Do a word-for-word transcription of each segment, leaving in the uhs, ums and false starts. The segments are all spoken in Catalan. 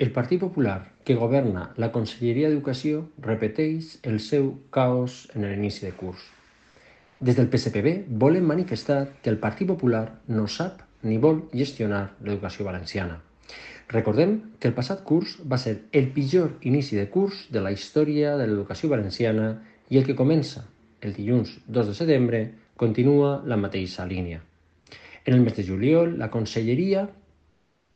El Partit Popular, que governa la Conselleria d'Educació, repeteix el seu caos en l'inici de curs. Des del P S P B volem manifestar que el Partit Popular no sap ni vol gestionar l'educació valenciana. Recordem que el passat curs va ser el pitjor inici de curs de la història de l'educació valenciana i el que comença el dilluns dos de setembre continua la mateixa línia. En el mes de juliol, la Conselleria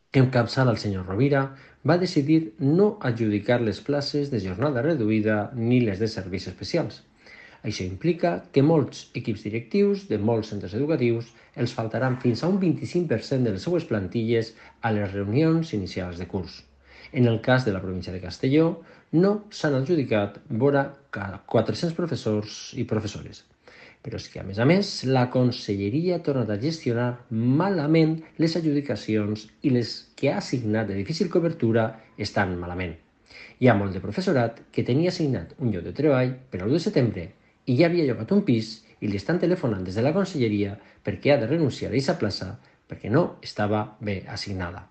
que encapçala el senyor Rovira va decidir no adjudicar les places de jornada reduïda ni les de serveis especials. Això implica que molts equips directius de molts centres educatius els faltaran fins a un vint-i-cinc per cent de les seues plantilles a les reunions inicials de curs. En el cas de la província de Castelló, no s'han adjudicat vora quatre-cents professors i professores. Però és que, a més a més, la Conselleria ha tornat a gestionar malament les adjudicacions i les que ha assignat de difícil cobertura estan malament. Hi ha molt de professorat que tenia assignat un lloc de treball per al l'u de setembre i ja havia llogat un pis i li estan telefonant des de la Conselleria perquè ha de renunciar a aquesta plaça perquè no estava bé assignada.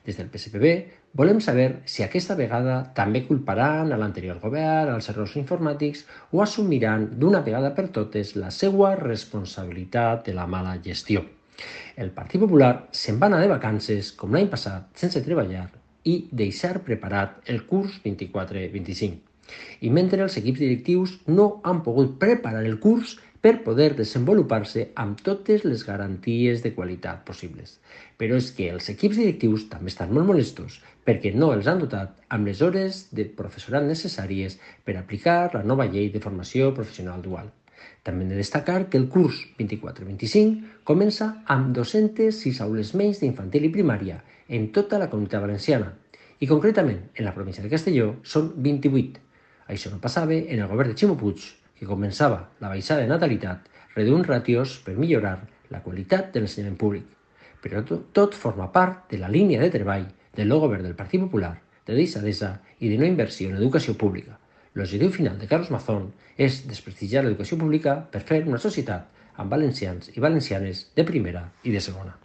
Des del P S P B volem saber si aquesta vegada també culparan a l'anterior govern, als errors informàtics o assumiran d'una vegada per totes la seva responsabilitat de la mala gestió. El Partit Popular se'n va anar de vacances, com l'any passat, sense treballar i deixar preparat el curs vint-i-quatre vint-i-cinc. I mentre els equips directius no han pogut preparar el curs per poder desenvolupar-se amb totes les garanties de qualitat possibles. Però és que els equips directius també estan molt molestos perquè no els han dotat amb les hores de professorat necessàries per aplicar la nova llei de formació professional dual. També hem de destacar que el curs vint-i-quatre vint-i-cinc comença amb dos-centes sis aules menys d'infantil i primària en tota la comunitat valenciana i concretament en la província de Castelló són vint-i-vuit. Això no passava en el govern de Ximo Puig, que començava la baixada de natalitat reduint ràtios per millorar la qualitat de l'ensenyament públic. Però tot forma part de la línia de treball del nou govern del Partit Popular, de deixadesa i de no inversió en educació pública. L'objectiu final de Carlos Mazón és desprestigiar l'educació pública per fer una societat amb valencians i valencianes de primera i de segona.